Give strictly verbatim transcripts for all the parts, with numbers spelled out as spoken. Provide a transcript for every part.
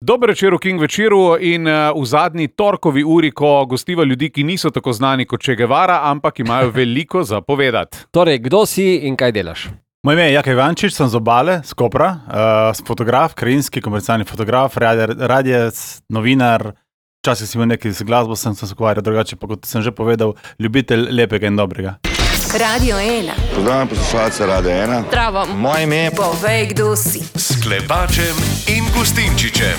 Dober večer v King večeru in uh, v zadnji torkovi uri, ko gostiva ljudi, ki niso tako znani kot Che Guevara, ampak imajo veliko za povedati. Torej, kdo si in kaj delaš? Moje ime je Jaka Ivančič, sem z Obale, z Kopra, uh, sem fotograf, krajinski, komercialni fotograf, radijec, novinar, včasih si imel nekaj z glasbo, sem se ukvarjal drugače, pa kot sem že povedal, ljubitelj lepega in dobrega. Radio ena. Pozdravljam poslušalce Radio ena. Zdravo. Moje ime je... Povej, kdo si. S Klepačem in Gustinčičem.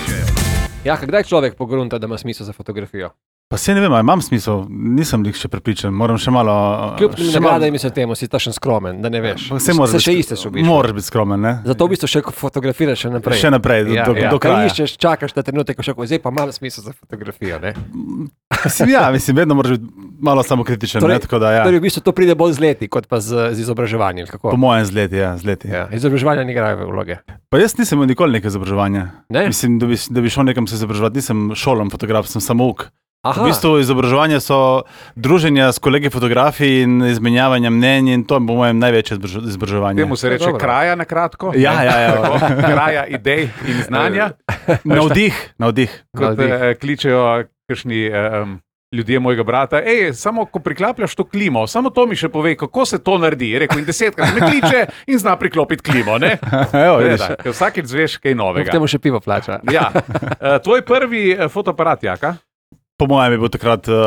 Ja, kdaj človek pogrunta, da ima smisel za fotografijo? Pa se ne vem, ali imam smisel, nisem jih še prepričan, moram še malo... Kljub nagrada mi se temu, si tašen skromen, da ne veš. Se, se biti, še isteš v bistvu. Moraš biti skromen, ne? Zato v bistvu še fotografiraš še naprej. Še naprej, do, ja, do, ja. do kraja. Kaj iščeš, čakaš na trenutek, ko še zdaj pa malo smisel za fotografijo, ne? Mislim, ja, mislim, vedno moraš biti malo samokritičen, torej, ne? Tako da, ja. Torej, v bistvu to pride bolj z leti, kot pa z, z izobraževanjem, kako? Po mojem z leti, ja, z leti. Ja, izobraževanja ne igrajo vloge. Pa jaz nisem imel nikoli nekaj izobraževanja. Ne? Mislim, da bi, da bi šel nekam se izobraževati, nisem šolam fotograf, sem samouk. Aha. V bistvu izobraževanje so druženja s kolegi fotografi in izmenjavanje mnenj in to je po mojem največje izobraževanje. Temu se reče Dobro. kraja na kratko. Ja, ja, ja. Kraja idej in znanja. Navdih, navdih. Kot Navdih. eh, kličejo kakšni um, ljudje mojega brata. Ej, samo ko priklapljaš to klimo, samo to mi še povej, kako se to naredi. Je rekel, in desetkrat me kliče in zna priklopiti klimo, ne? Evo, vidiš. Gleda, ker vsakič zveš kaj K novega. temu še pivo plača. Ja. Uh, tvoj prvi uh, fotoaparat, Jaka? Po mojem je bil takrat uh,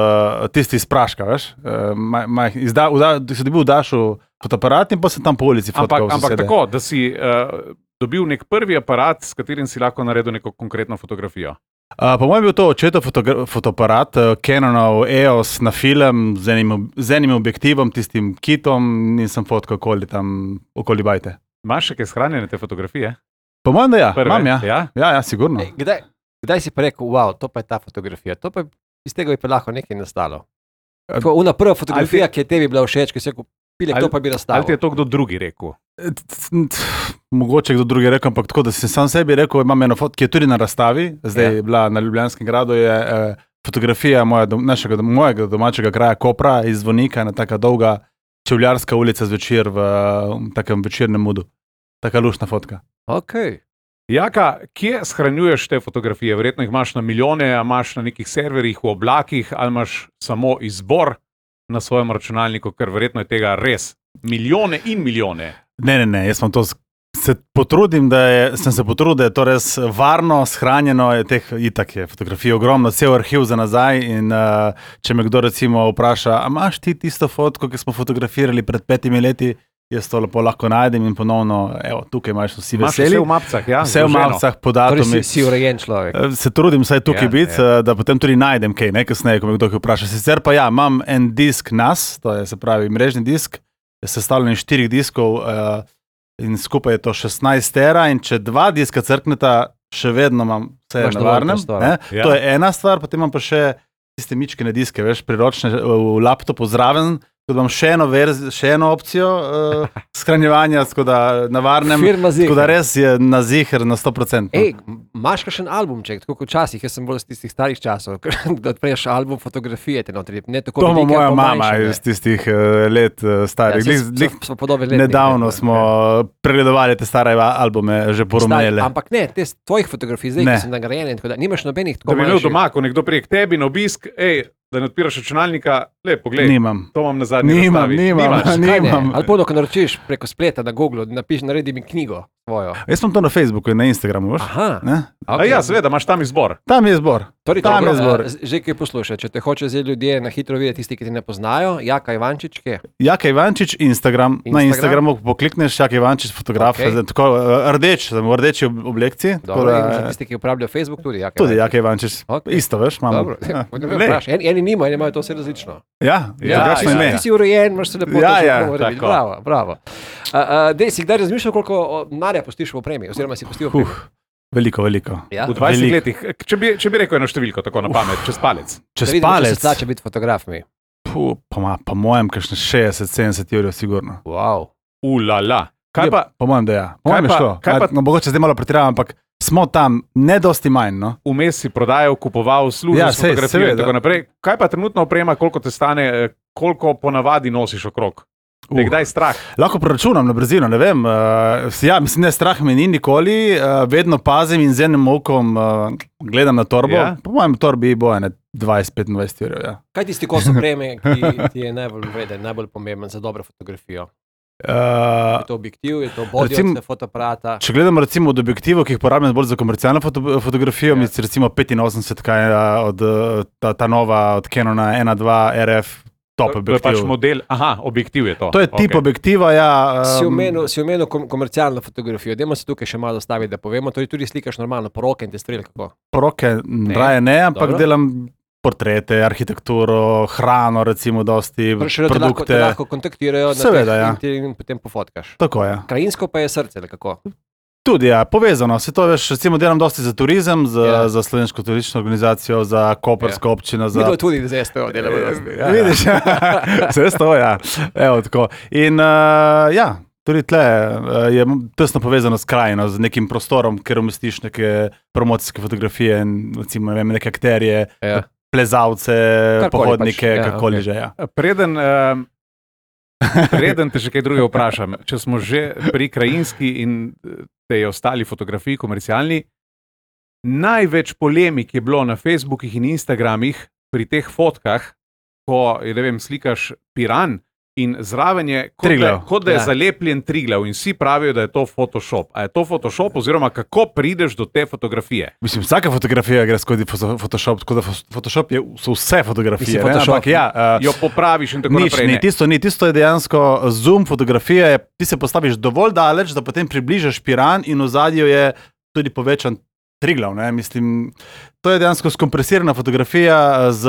tisti iz praška, veš. Uh, maj, maj, izda, vda, si dobil v Dašu fotoaparat in pa sem tam po ulici fotkal. Ampak, ampak tako, da si uh, dobil nek prvi aparat, s katerim si lahko naredil neko konkretno fotografijo. Uh, po mojem je bil to očetov fotogra- fotoaparat, uh, Canonov E O S na film z enim, z enim objektivom, tistim kitom in sem fotkal okoli tam, okoli bajte. Imaš še kaj shranjene te fotografije? Po mojem, da ja, Prve? imam ja. Ja? Ja, ja, sigurno. Ej, kdaj, kdaj si pa rekel, wow, to pa je ta fotografija, to pa je, iz tega bi pa lahko nekaj nastalo. Tako, una prva fotografija, ti- ki je tebi bila všeč, ki si rekel, pilek, Ali- to pa bi Ali nastalo. ti je to kdo drugi rekel? Mogoče kdo drugi rekel, ampak tako, da si sam sebi rekel, imam eno fotko, ki je tudi na razstavi, zdaj Ja. je bila na Ljubljanskem gradu, je eh, fotografija moja, dom, našega, mojega domačega kraja Kopra iz Zvonika, ena taka dolga čevljarska ulica zvečer v um, takem večernem mudu. Taka luštna fotka. Okay. Jaka, kje shranjuješ te fotografije? Verjetno jih imaš na milijone, a imaš na nekih serverjih v oblakih, ali imaš samo izbor na svojem računalniku, ker verjetno je tega res milijone in milijone. Ne, ne, ne, jaz sem to se potrudim, da je, sem se potrudil, da je to res varno, shranjeno, je teh itak je fotografij ogromno, cel arhiv za nazaj in uh, če me kdo recimo vpraša, a imaš ti tisto fotko, ki smo fotografirali pred petimi leti, jaz to lepo lahko najdem in ponovno, evo, tukaj imaš vsi Imaš veseli. vse v mapcah, ja? Vse v zloženo. mapcah, po Torej si, datumih. si urejen človek. Eh, Se trudim vsaj tukaj Ja, ja, biti, ja. ja. da potem tudi najdem kaj, ne, kasneje, ko me kdo kaj vpraša. Sicer pa ja, imam en disk N A S, to je se pravi mrežni disk, je sestavljen iz štirih diskov uh, in skupaj je to šestnajst tera in če dva diska crkneta, še vedno imam vse Imaš na dovolj varnem. prostora. Ne? Ja. To je ena stvar, potem imam pa še tiste mičkene diske, veš, priročne v laptopu zraven, tako da imam še eno, verzi, še eno opcijo uh, shranjevanja, tako da na varnem, Firma tako da Ziher. res je na ziher na sto procentov. Ej, imaš kakšen albumček, tako kot včasih, jaz sem bolj iz tistih starih časov, da odpreš album fotografije, te notri, ne tako To ima velike, moja pa mama manjše, ne. iz tistih uh, let uh, starih. Ja, Ja, saj so- so podobne letnike, nedavno ne, smo ja. pregledovali te stare albume, že Stari, porumele. ampak ne, te s tvojih fotografij, zdaj, Ne. ki so nagrajene, in tako da nimaš nobenih Da tako bi imel manjših. doma, ko nekdo prije k tebi na obisk, ej, da ne odpiraš računalnika, le, poglej, Nimam. to imam na zadnji Nimam, razstavi. nimam. Nimaš? Kaj ne? nimam. Ali pa, ko naročiš preko spleta na Google, napiš, naredi mi knjigo svojo. Jaz sem to na Facebooku in na Instagramu, veš? Aha, Ne? A okay. ja, seveda, imaš tam izbor. Tam je zbor. Torej, Tam dobro, je zbor. a, Že kaj poslušaj, če te hoče zdaj ljudje na hitro videti, tisti, ki te ne poznajo, Jaka Ivančič, kje? Jaka Ivančič, Instagram. Instagram. Na Instagramu poklikneš Jaka Ivančič, fotograf, Okej. okay. tako uh, rdeč, sem v rdeči ob- oblekciji. tako Dobro, in za da, tisti, ki uporabljajo Facebook, tudi Jaka tudi Ivančič. Jaka Ivančič. Okej. Isto, veš, imamo. Dobro, Ja. ne, vprašaj, eni, eni nimajo, eni imajo to vse različno. Ja, Ja, drugačno ja, ime. Ti si urejen, imaš se lepo Ja, to ja, že mora biti. tako. Bravo, bravo. Uh, uh, dej, si kdaj razmišljal, koliko o, denarja postiš v opremi, oziroma si pustil v opremi? Uh, veliko, veliko. Ja? V dvajsetih Veliko. letih, če bi, če bi rekel eno številko, tako na pamet, čez palec. Čez Da vidimo, če palec. se splača biti fotograf mi. Puh, pa, ma, pa mojem, kakšne šestdeset sedemdeset evrov, sigurno. Wow. Ulala. Kaj pa, Po mojem, da ja. Kaj Mojem je pa- šlo. kaj pa- A, no, mogoče zdaj malo pretiravam, ampak smo tam, ne dosti manj, no. vmes si prodajal, kupoval, služil Ja, s sej, fotografijo in seveda. tako naprej. Kaj pa trenutna oprema, koliko te stane, eh, koliko ponavadi nosiš okrog? Te je kdaj strah? Lahko preračunam na brzino, ne vem. Uh, ja, mislim, ne strah me ni nikoli, uh, vedno pazim in z enim okom uh, gledam na torbo. Ja. Po mojem torbi bo ene dvajset do petindvajset evrov. Ja. Kaj tisti kos opreme, ki ti je najbolj vreden, najbolj pomemben za dobro fotografijo? Uh, Je to objektiv, je to body recimo- od fotoaparata? če gledamo recimo od objektivov, ki jih porabljam bolj za komercialno foto, fotografijo, Ja. ja. mi recimo petinosemdeset, kaj je od uh, ta, ta nova od Canona ena dva R F, top To je objektiv. pač model, aha, objektiv je to. To je tip Okej. objektiva, ja. Si um, omenil, si omenil kom komercialno fotografijo. Dajmo se tukaj še malo staviti, da povemo. To je tudi slikaš normalno poroke in te strelj kako. Poroke ne. raje ne, ampak Dobro. delam portrete, arhitekturo, hrano, recimo, dosti Torej, še da te lahko, produkte. te lahko kontaktirajo na Seveda, teh ja. in ti in potem pofotkaš. Tako je. Krajinsko pa je srce, ali kako? Tudi, ja, povezano. Se to veš, recimo delam dosti za turizem, za, Ja. za slovensko turistično organizacijo, za koprsko ja. občino. Za... Videl tudi z S T O delamo. Ja, vidiš, vse to, ja. Evo, tako. In uh, ja, tudi tle uh, je tesno povezano s krajino, z nekim prostorom, kjer umestiš neke promocijske fotografije in recimo, ne vem, neke akterje, Ja. plezalce, Karkoli pohodnike, pač, ja, kakoli okej. že. Ja. Preden, uh, preden te še kaj drugega vprašam, če smo že pri krajinski in eh, tej ostali fotografiji komercialni, največ polemik je bilo na Facebookih in Instagramih pri teh fotkah, ko je, ne vem, slikaš Piran in zraven je, kot da, Triglav. kot da je Ja. zalepljen Triglav in vsi pravijo, da je to Photoshop. A je to Photoshop oziroma kako prideš do te fotografije? Mislim, vsaka fotografija gre skozi fo- Photoshop, tako da fo- Photoshop je, so vse fotografije. Mislim, ne, Photoshop, ampak ja, uh, Jo popraviš in tako Nič naprej. ni, ne. tisto ni, tisto je dejansko zoom fotografija, je, ti se postaviš dovolj daleč, da potem približaš Piran in v zadju je tudi povečan Triglav, ne, mislim, to je dejansko skompresirana fotografija z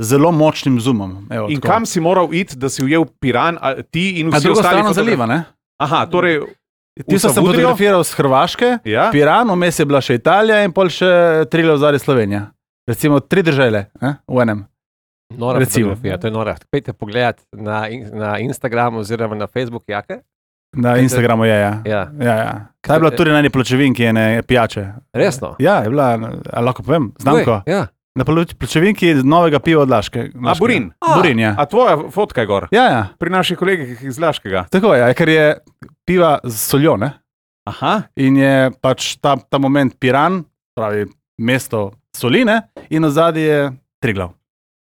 zelo močnim zoomom. Evo, In tako. kam si moral iti, da si ujel Piran, a, ti in Na vsi drugo ostali strano fotogra- zaliva, ne? Aha, torej, Ti sem Savudrijo? fotografiral z Hrvaške, ja. Piran, vmes je bila še Italija in pol še Triglav zadaj Slovenija. Recimo tri države ne, v enem. Nora Recimo. fotografija, to je nora. Pejte pogledat na, in, na Instagramu oziroma na Facebook, jake? Na Instagramu je, ja. Ja. ja, ja. Ta je bila tudi na eni pločevinki, ene pijače. Resno? Ja, je bila, a lahko povem, znamko. Uj, ja. Na ploč- pločevinki novega piva od Laške. A, Burin. Burin, ja. A tvoja fotka je gor? Ja, ja. Pri naših kolegih iz Laškega. Tako je, ja, ker je piva z soljo, ne? Aha, In je pač ta, ta moment Piran, pravi mesto soline, in ozadje je Triglav.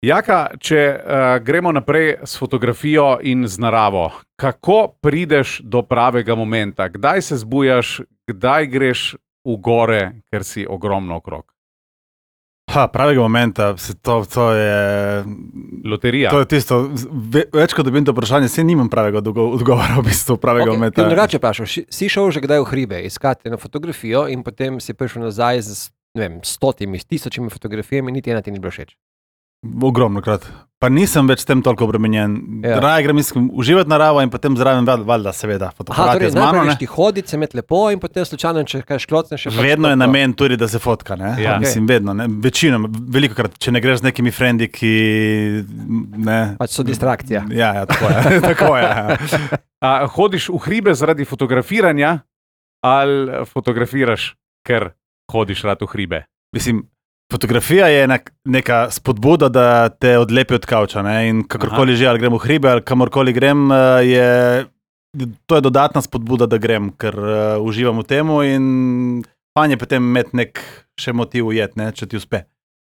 Jaka, če uh, gremo naprej s fotografijo in z naravo, kako prideš do pravega momenta? Kdaj se zbujaš, kdaj greš v gore, ker si ogromno okrog? Ha, pravega momenta, se to, to je... Loterija. To je tisto, ve, več kot dobim to vprašanje, se nimam pravega odgo- odgovora v bistvu, pravega Okay. momenta. Drugače vprašal, si- si šel že kdaj v hribe, iskati eno fotografijo in potem si prišel nazaj z ne vem, stotimi, tisočimi fotografijami, niti ena ti ni bilo všeč. Ogromno krat. Pa nisem več s tem toliko obremenjen. Ja. Ja. Raje grem iskem uživati naravo in potem zraven val- valjda seveda Aha, fotografijo torej z mano. najprej Ne? greš ti hoditi, se imeti lepo in potem slučajno, če kaj šklocneš, še pač Vedno je to. namen tudi, da se fotka. Ne? Ja. Mislim, vedno. Ne? Večino, veliko krat, če ne greš z nekimi frendi, ki ne. Pač so distrakcija. Ja, ja, tako je. tako je ja. A, hodiš v hribe zaradi fotografiranja ali fotografiraš, ker hodiš rad v hribe? Mislim, fotografija je nek, neka spodbuda, da te odlepi od kavča. Ne? In kakorkoli že, ali grem v hribe ali kamorkoli grem, eh, je, to je dodatna spodbuda, da grem, ker uh, uživam v tem in fajn je potem imeti nek še motiv ujet, ne, če ti uspe.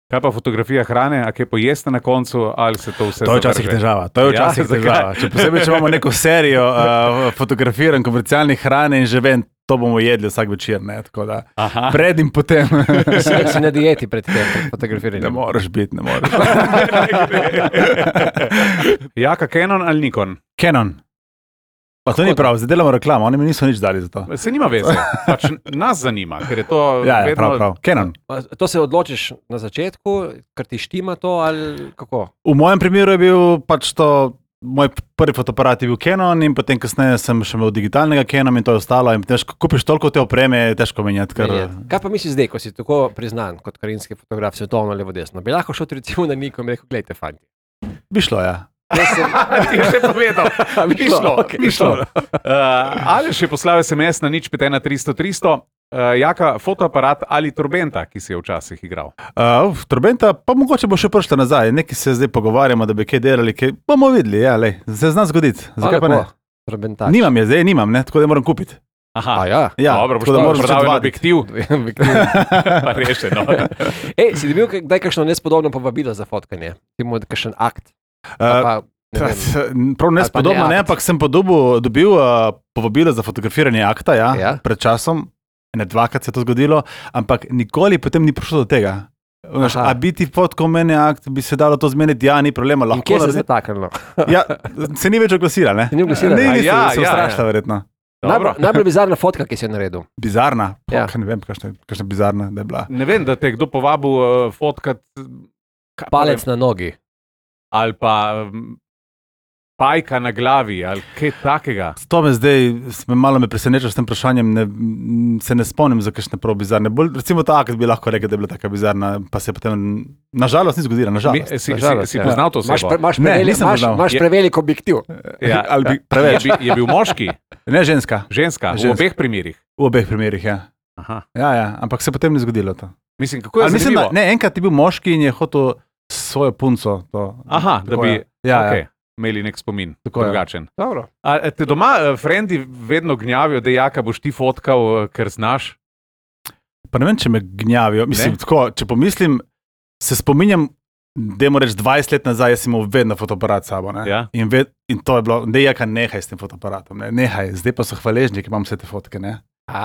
Kaj pa fotografija hrane, a kaj pojeste na koncu, ali se to vse To je včasih zavrže? težava. To je Ja, včasih zakaj? težava. Če posebej, če imamo neko serijo uh, fotografiranj komercialnih hrane in že vem, to bomo jedli vsak večer. Ne, tako da Aha. pred in potem. Si, si na dieti pred tem, pred fotografiranjem. Ne moreš biti, ne moreš. Jaka, Canon ali Nikon? Canon. Pa to ni prav, zdaj delamo reklamo, oni mi niso nič dali za to. Se nima veze, pač nas zanima, ker je to Ja, ja, vedno... prav, prav. Canon. A To se odločiš na začetku, ker ti štima to ali kako? V mojem primeru je bil pač to, moj prvi fotoaparat je bil Canon in potem kasneje sem še imel digitalnega Canon in to je ostalo. In težko, kupiš toliko te opreme, je težko menjati. Ker... Menjati. Kaj pa misliš zdaj, ko si tako priznan kot krajinski fotograf, svetovno levo desno? Bi lahko šel recimo na Nikon in rekel, gledajte, fanti. Bi šlo, ja. Jaz sem, Ti je še povedal, Bi bi šlo, šlo, okej, bi šlo. Uh, ali še poslal S M S na nič pet ena tristo tristo, uh, Jaka, fotoaparat ali turbenta, ki si je včasih igral? Uh, Turbenta, pa mogoče bo še prišla nazaj. Nekaj se zdaj pogovarjamo, da bi kaj delali, kaj bomo videli, ja, lej. Se zna zgoditi. Zakaj pa ne? lepo. Trobentač. Nimam je, zdaj nimam, ne? Tako da moram kupiti. Aha, A ja. Ja, dobro, tako da moraš prodal en odvaditi. objektiv, pa rešeno. Ej, si dobil kdaj kakšno nespodobno povabilo za fotkanje? Ti mu kakšen akt? Uh, Pa, ne vem. Prav nespodobno, ne ne, akt. ampak sem po dobu dobil uh, povabilo za fotografiranje akta, ja, Ja. pred časom, ne dvakrat se je to zgodilo, ampak nikoli potem ni prišlo do tega. Veš, Aha. a biti fotkal meni akt, bi se dalo to zmeniti, ja, ni problema, In lahko kje se je naredi- zataknilo? Ja, se ni več oglasila, ne? Se ni oglasila? Ne, A ni, ja, se ja, ustrašila, ja. verjetno. Dobro. Najbolj, najbolj bizarna fotka, ki si jo naredil. Bizarna, Ja. ja. Ne vem, kakšna, kakšna bizarna da je bila. Ne vem, da te je kdo povabil uh, fotkat kaj pa Palec vem, na nogi. ali pa um, pajka na glavi ali kaj takega. To me zdaj, me malo me preseneča s tem vprašanjem, ne, m, se ne spomnim za kakšne prav bizarne. Bolj, recimo ta akt bi lahko rekel, da je bila taka bizarna, pa se je potem, nažalost ni zgodila, Mi, nažalost. si, si, Nažalost, si ja. poznal to Imaš, osebo? pre, imaš, Ne, prevelik, nisem imaš, poznal. imaš Je- prevelik objektiv. Ja, Ali bi, je, preveč. bi, je bil moški, Ne ženska, ženska, v Ženska. obeh primerih. v obeh primerih, ja. Aha. Ja, ja, ampak se potem ni zgodilo to. Mislim, kako je Ali mislim, da, zanimivo. ne, enkrat je bil moški in je hotel svojo punco. To, Aha, da tako bi je. Ja, okay, ja. imeli nek spomin, Tako je. drugačen. Dobro. A te doma uh, frendi vedno gnjavijo, da jaka boš ti fotkal, uh, ker znaš? Pa ne vem, če me gnjavijo. Mislim, Ne? tako, če pomislim, se spominjam, dajmo reči dvajset let nazaj, jaz sem imel vedno fotoaparat s sabo. Ne? Ja. In, ved, in to je bilo, da je jaka, nehaj s tem fotoaparatom. Ne? Nehaj, zdaj pa so hvaležni, ker imam vse te fotke. Ne? A,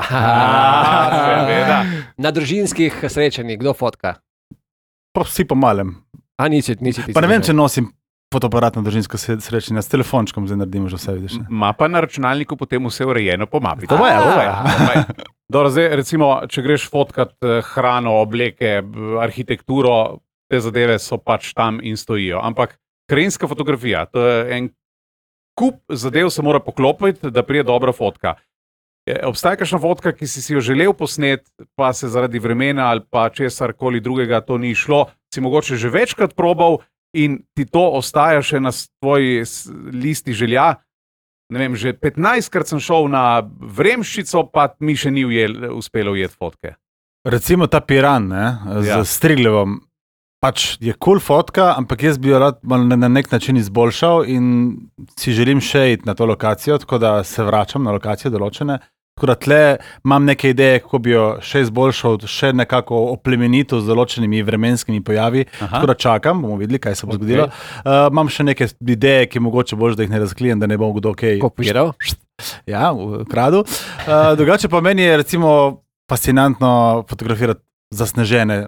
seveda. Na družinskih srečanjih, kdo fotka? Pa vsi po malem. A nisi, nisi ti. Pa ne vem, če srečen. nosim fotoaparat na družinsko se- srečanje, s telefončkom zdaj naredimo že vse, vidiš. Ne? Ma pa na računalniku potem vse urejeno po mapi. To je, to je. Dobro, zdaj, recimo, če greš fotkat eh, hrano, obleke, b- arhitekturo, te zadeve so pač tam in stojijo. Ampak krajinska fotografija, to je en kup zadev, se mora poklopiti, da prije dobra fotka. Je, obstaja kakšna fotka, ki si, si jo želel posnet, pa se zaradi vremena ali pa česar koli drugega to ni šlo, si mogoče že večkrat probal in ti to ostaja še na tvoji s- listi želja. Ne vem, že petnajstkrat sem šel na Vremščico, pa mi še ni ujel, uspelo ujeti fotke. Recimo ta Piran ne, z Ja. ja. Strigljevom. Pač je kul cool fotka, ampak jaz bi jo rad malo na, na nek način izboljšal in si želim še iti na to lokacijo, tako da se vračam na lokacije določene. Tako da tle imam neke ideje, kako bi jo še izboljšal, še nekako oplemenito z določenimi vremenskimi pojavi. Aha. Tako da čakam, bomo videli, kaj se bo Okej. zgodilo. Uh, imam še neke ideje, ki mogoče boš, da jih ne razklijem, da ne bom kdo kaj Kopiral? Ja, v kradu. Uh, drugače pa meni je recimo fascinantno fotografirati zasnežene,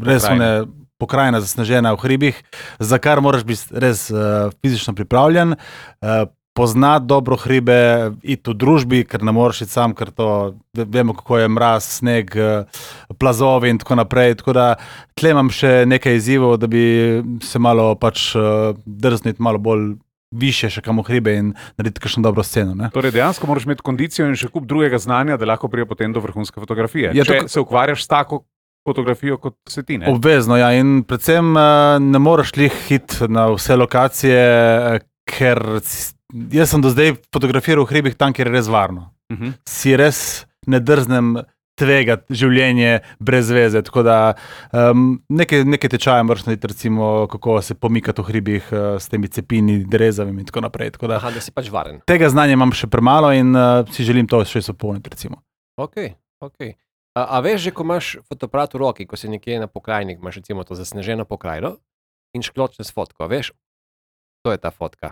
res Pokrajine. one pokrajina zasnežena v hribih, za kar moraš biti res uh, fizično pripravljen, uh, poznati dobro hribe, iti v družbi, ker ne moreš iti sam, ker to ve- vemo, kako je mraz, sneg, uh, plazovi in tako naprej. Tako da tle imam še nekaj izzivov, da bi se malo pač uh, drzniti malo bolj više še kam v hribe in narediti kakšno dobro sceno. Ne? Torej, dejansko moraš imeti kondicijo in še kup drugega znanja, da lahko prije potem do vrhunske fotografije. Je Če to- se ukvarjaš s tako fotografijo, kot se ti ne. Obvezno, ja, in predvsem uh, ne moreš lih hiti na vse lokacije, eh, ker s- jaz sem do zdaj fotografiral v hribih tam, kjer je res varno. Uh -huh. Si res ne drznem tvegati življenje brez veze. Tako da um, nekaj, nekaj tečaja moraš narediti, recimo, kako se pomikati v hribih uh, s temi cepini, drezavimi in tako naprej. Tako da, Aha, da si pač varen. tega znanja imam še premalo in uh, si želim to še izpolniti, recimo. Ok, ok. A, a veš že, ko imaš fotoaparat v roki, ko si nekje na pokrajini, imaš recimo to zasneženo pokrajino in škločne s fotko, veš, to je ta fotka.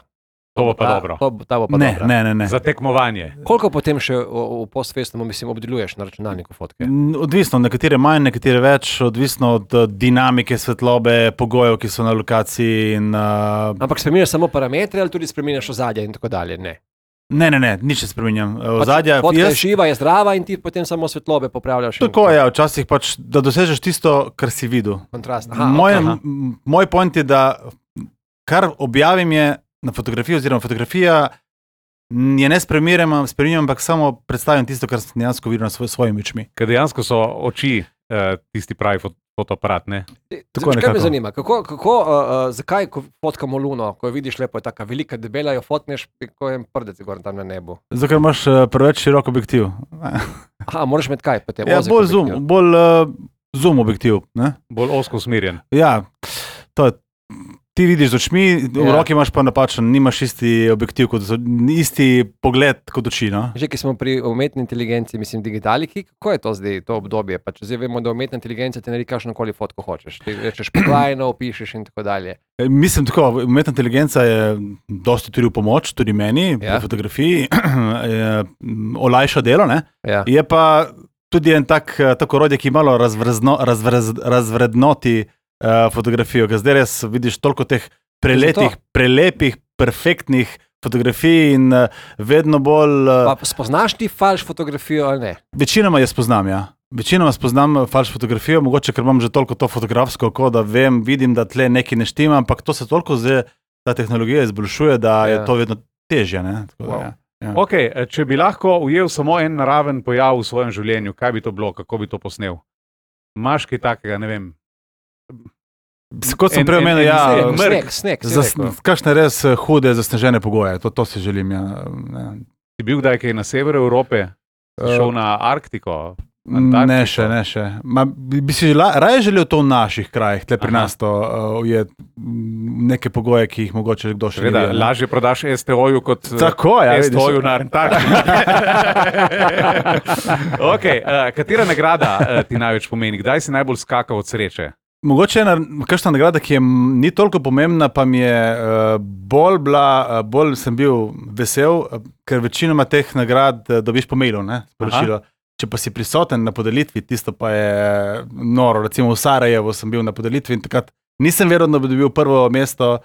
To bo pa ta, dobro. To, bo- ta bo pa Ne, dobra. ne, ne. ne. Za tekmovanje. Koliko potem še v, v postfestnemu, mislim, obdeluješ na računalniku fotke? N- Odvisno, nekatere manj, nekatere več, odvisno od uh, dinamike svetlobe, pogojev, ki so na lokaciji. In, uh, Ampak spremeniš samo parametre ali tudi spremeniš ozadje in tako dalje? Ne. ne, ne, ne, nič ne spremenjam. Pač Ozadja, fotka je jaz, živa, je zdrava in ti potem samo svetlobe popravljaš. in- tako je, ja, včasih pač, da dosežeš tisto, kar si videl. Kontrast. Aha, Moj, ok. m- moj point je, da kar objavim je na fotografiji, oziroma fotografija m, je ne spremenjam, spremenjam, ampak samo predstavim tisto, kar sem dejansko videl na svoj, svojimi očmi. Ker dejansko so oči uh, tisti pravi fot fotoaparat. Ne? Tako Kaj me nekako. zanima, kako, kako, uh, uh, zakaj, ko fotkamo luno, ko jo vidiš lepo, je tako velika, debela, jo fotneš, ko je en prdec gor tam na nebu. Zato, ker imaš uh, preveč širok objektiv. Aha, moraš imeti kaj potem? Ja, ozek bolj zoom, objektiv. bolj uh, zoom objektiv. Ne? Bolj osko usmerjen. Ja, to je ti vidiš z očmi, v Ja. roki imaš pa napačen, nimaš isti objektiv, kot so, isti pogled kot oči. No? Že ki smo pri umetni inteligenci, mislim, digitaliki, kako je to zdaj, to obdobje? Pa če zdaj vemo, da umetna inteligenca ti naredi kakšnokoli fotko hočeš. Ti rečeš poglajno, opišeš in tako dalje. E, Mislim tako, umetna inteligenca je dosti tudi v pomoč, tudi meni, Ja. pri fotografiji, je, m, olajša delo, ne? Ja. Je pa tudi en tak, eh, tako orodje, ki malo razvrezno, razvrez, razvrednoti uh, fotografijo, ker zdaj res vidiš toliko teh preletih, prelepih, perfektnih fotografij in uh, vedno bolj... Uh, Pa spoznaš ti falš fotografijo ali ne? večinoma jaz spoznam, ja. Večinoma spoznam falš fotografijo, mogoče ker imam že toliko to fotografsko oko, da vem, vidim, da tle nekaj ne štima, ampak to se toliko zdaj, ta tehnologija izboljšuje, da Ja. je to vedno težje. Ne? Tako, da, Wow. ja. Ja. Okay, če bi lahko ujel samo en naraven pojav v svojem življenju, kaj bi to bilo, kako bi to posnel? Imaš kaj takega, ne vem. Kot sem En- prej en- omenil, en- ja, en- Sneg, mrk. sneg, sneg. Zas, kakšne res eh, hude, zasnežene pogoje, to, to si želim. Ja. Ja. Si bil kdaj kaj na severu Evrope, si šel na Arktiko? Ne Antarktiko? še, ne še. Ma, bi, bi si la, raje želel to v naših krajih, tle pri Aha. nas to uh, je neke pogoje, ki jih mogoče kdo še ne Seveda, ve, ne. lažje prodaš S T O-ju kot eh, Tako, ja, S T vidiš. O-ju na Antarktiki. Okay, uh, katera nagrada uh, ti največ pomeni? Kdaj si najbolj skakal od sreče? Mogoče ena kakšna nagrada, ki je m- ni toliko pomembna, pa mi je uh, bolj bila, uh, bolj sem bil vesel, uh, ker večinoma teh nagrad uh, dobiš po mailu, ne, sporočilo. Če pa si prisoten na podelitvi, tisto pa je noro. Recimo v Sarajevu sem bil na podelitvi in takrat nisem verjel, da bi dobil prvo mesto uh,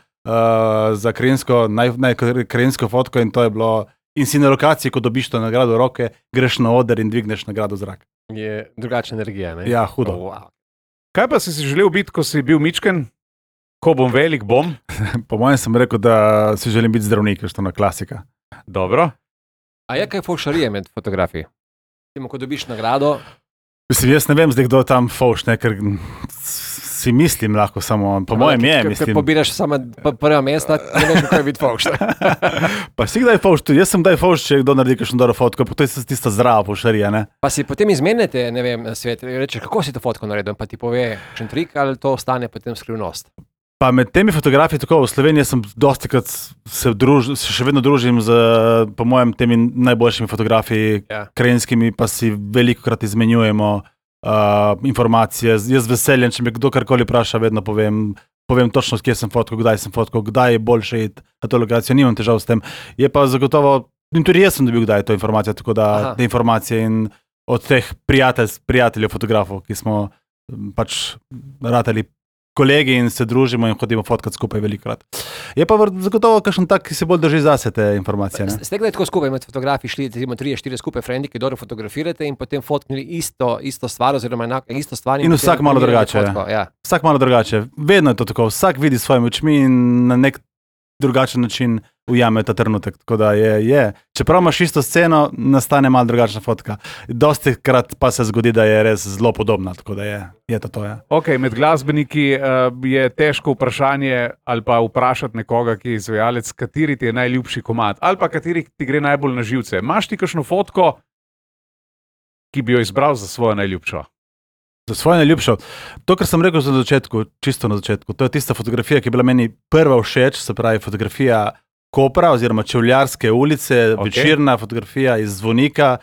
za krajinsko, naj, naj, krajinsko fotko in to je bilo. In si na lokaciji, ko dobiš to nagrado v roke, greš na oder in dvigneš nagrado v zrak. Je drugačna energija, ne? Ja, hudo. Oh, wow. Kaj pa si si želel biti, ko si bil mičken? Ko bom velik, bom. Po mojem sem rekel, da si želim biti zdravnik, što na klasika. Dobro. A je kaj fovšarije med fotografi? Timo, ko dobiš nagrado, Mislim, jaz ne vem, zdaj kdo tam fauš, ne, ker si mislim lahko samo, po mojem je, Ker mislim. pobiraš samo p- prva mesta, ne veš, kako je biti fovš. Pa si kdaj fauš, tudi jaz sem kdaj fauš, če kdo naredi kakšno dobro fotko, pa to je tista zdrava faušarija, ne. Pa si potem izmenjate, ne vem, svet, rečeš, kako si to fotko naredil, pa ti pove kakšen trik ali to ostane potem skrivnost. Pa med temi fotografi, tako v Sloveniji sem dosti krat se, druž, se še vedno družim z, po mojem, temi najboljšimi fotografi, Ja. krajinskimi, pa si veliko krat izmenjujemo uh, informacije. Jaz z veseljem, če me kdo karkoli vpraša, vedno povem, povem točno, kje sem fotkal, kdaj sem fotkal, kdaj je boljše iti na to lokacijo, nimam težav s tem. Je pa zagotovo, in tudi jaz sem dobil kdaj to informacijo, tako da Aha. te informacije in od teh prijatelj, prijateljev fotografov, ki smo m, pač ratali kolegi in se družimo in hodimo fotkat skupaj velikokrat. Je pa vr- zagotovo kakšen tak, ki se bolj drži zase te informacije. Ne? Ste kdaj tako skupaj med fotografi šli, recimo tri, štiri skupaj frendi, ki dobro fotografirate in potem fotknili isto, isto stvar oziroma enako, isto stvar. In potem vsak malo primerjali drugače, fotko, Ja. Vsak malo drugače. Vedno je to tako. Vsak vidi s svojimi očmi in na nek drugačen način ujame ta trenutek. Tako da je, je. Čeprav imaš isto sceno, nastane malo drugačna fotka. Dosti krat pa se zgodi, da je res zelo podobna. Tako da je, je to to. Ja. Okay, med glasbeniki uh, je težko vprašanje ali pa vprašati nekoga, ki je izvajalec, kateri ti je najljubši komad ali pa kateri ti gre najbolj na živce. Imaš ti kakšno fotko, ki bi jo izbral za svojo najljubšo? Za svojo najljubšo. To, kar sem rekel na začetku, čisto na začetku, to je tista fotografija, ki je bila meni prva všeč, se pravi fotografija Kopra oziroma Čevljarske ulice, Ok. okay. Večerna fotografija iz Zvonika.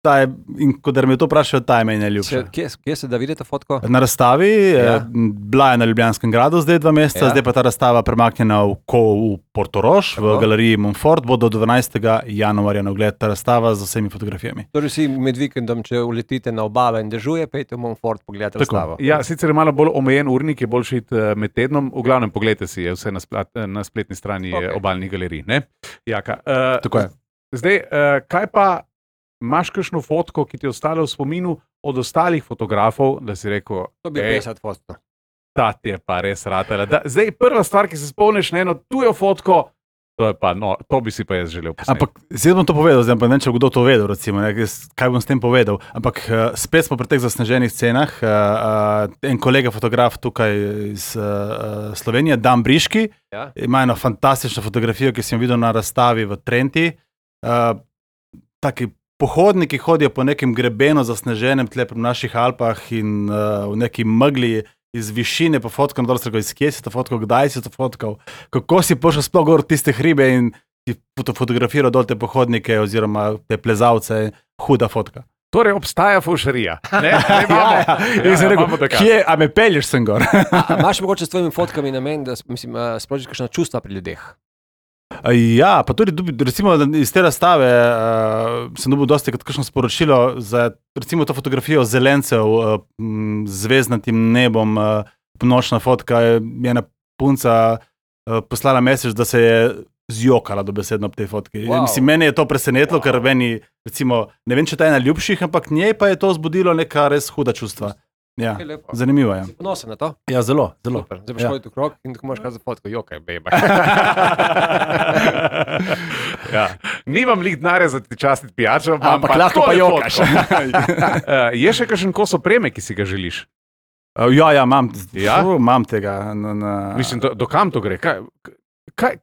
Ta je, in ko da me to vprašajo, ta je meni Se, najljubša. kje, kje se da vidite fotko? Na razstavi, Ja. ja. Bila je na Ljubljanskem gradu zdaj dva meseca, Ja. ja. zdaj pa ta razstava premaknjena v, ko, v Portorož, Tako. v galeriji Montfort, bo do dvanajstega januarja na ogled ta razstava z vsemi fotografijami. Torej si med vikendom, če uletite na obalo in dežuje, pejte v Montfort pogledati Tako. razstavo. Ja, sicer je malo bolj omejen urnik, je boljši iti eh, med tednom. V glavnem, pogledajte si, je vse na, splat, eh, na spletni strani Ok. okay. obalnih galerij. Ne? Jaka, uh, Tako je. Zdaj, uh, kaj pa imaš kakšno fotko, ki ti je ostala v spominu od ostalih fotografov, da si rekel, To bi "Ej, petdeset fotko. ta ti je pa res ratela. Da, zdaj, prva stvar, ki se spomniš na eno tujo fotko, to, je pa, no, to bi si pa jaz želel posneti. Ampak zdaj bom to povedal, zdaj pa ne vem, če bo kdo to vedel, recimo, ne, jaz, kaj bom s tem povedal. Ampak uh, spet smo pri teh zasneženih scenah. Uh, uh, en kolega fotograf tukaj iz uh, Slovenije, Dan Briški, Ja? ima eno fantastično fotografijo, ki sem jo videl na razstavi v Trenti. Uh, taki pohodniki hodijo po nekem grebenu zasneženem tle pri naših Alpah in uh, v neki megli iz višine pofotkal, dol sem rekel, iz kje si to fotkal, kdaj si to fotkal, kako si prišel sploh gor tiste hribe in ti fotografiral dol te pohodnike oziroma te plezalce, huda fotka. Torej obstaja fušerija. Ne, ne imamo. Ja, ja. Ja, In sem rekel, imamo dokaz. kje, a me pelješ sem gor? A, a imaš mogoče s tvojimi fotkami namen, da mislim, uh, sprožiš kakšna čustva pri ljudeh? Ja, pa tudi dobi- recimo iz te razstave uh, sem dobil dosti kot kakšno sporočilo za recimo to fotografijo zelencev uh, m, z zvezdnatim nebom, uh, nočna fotka, je ena punca uh, poslala mesec, da se je zjokala dobesedno ob tej fotki. Wow. Mislim, mene je to presenetilo, wow. ker meni, recimo, ne vem, če ta je najljubših, ampak njej pa je to zbudilo neka res huda čustva. Ja, Je lepo. zanimivo je. Si ponosen na to? Ja, zelo, zelo. Super. Zdaj boš Ja. hodil okrog in tako moraš kazati fotko, jokaj, beba. Ja. Nimam lih denarja za ti častiti pijačo, Ampak lahko pa tole jokaš. fotko. Uh, je še kakšen kos opreme, ki si ga želiš? Uh, ja, ja, imam, Ja? Fú, imam tega. Na, na... Mislim, do, do kam to gre? Kaj, kaj,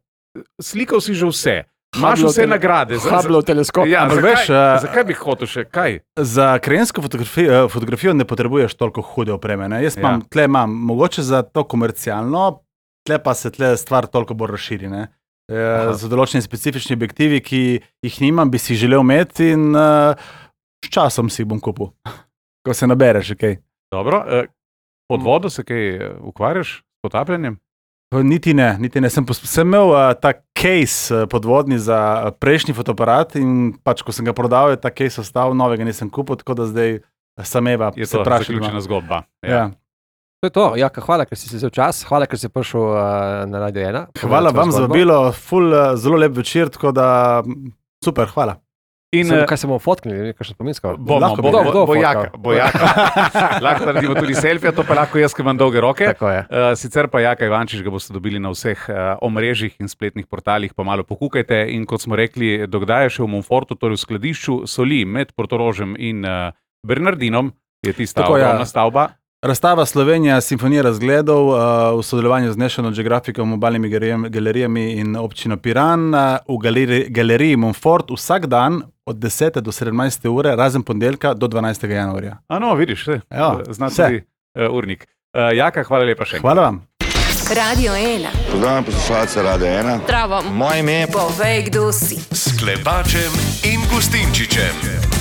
slikal si že vse, imaš Hubble vse tele- nagrade. Za- za- Hubble teleskop. Ja, Ampak zakaj, veš, eh, zakaj bi hotel še kaj? Za krajinsko fotografijo, fotografijo ne potrebuješ toliko hude opreme. Ne? Jaz Ja. imam, tle imam, mogoče za to komercialno, tle pa se tle stvar toliko bolj razširi. Ne? E, za določeni specifični objektivi, ki jih nimam, bi si želel imeti in uh, s časom si jih bom kupil, ko se nabereš. Okay. Dobro, eh, pod vodo se kaj eh, ukvarjaš s potapljanjem? Niti ne, niti ne. Sem, pos- sem imel uh, ta case uh, podvodni za uh, prejšnji fotoaparat in pač, ko sem ga prodal, je ta case ostal, novega nisem kupil, tako da zdaj sameva Je se to vprašam. zaključena zgodba. Ja. To je to. Jaka, hvala, ker si se vzel čas, hvala, ker si prišel uh, na Radio ena. Hvala vam za vabilo, ful, uh, zelo lep večer, tako da m, super, hvala. In Sem, eh, kaj se bomo fotknili, kakšno spominsko? bomo, lahko bo, bi. bo, Kdo- kdo bo, bojaka, fotkal? bojaka. Lahko naredimo tudi selfije, to pa lahko jaz, ki imam dolge roke. Tako je. Uh, sicer pa Jaka Ivančič ga boste dobili na vseh uh, omrežjih in spletnih portalih, pa malo pokukajte. In kot smo rekli, dokdaj je še v Monfortu, torej v skladišču soli med Portorožem in uh, Bernardinom, je tista Tako, ja. ogromna stavba. Razstava Slovenija, Simfonija razgledov uh, v sodelovanju z National Geographicom, obalnimi galerijami- galerijami in občino Piran uh, v galeri, galeriji Monfort vsak dan od desete do sedemnajste ure, razen ponedeljka do dvanajstega januarja. A no, vidiš, vse. Ja, Zna vse. tudi uh, urnik. Uh, Jaka, hvala lepa še enkrat. Hvala vam. Radio ena. Pozdravljam poslušalce Radia ena. Zdravo. Moje ime je Povej, kdo si. S Klepačem in Gustinčičem.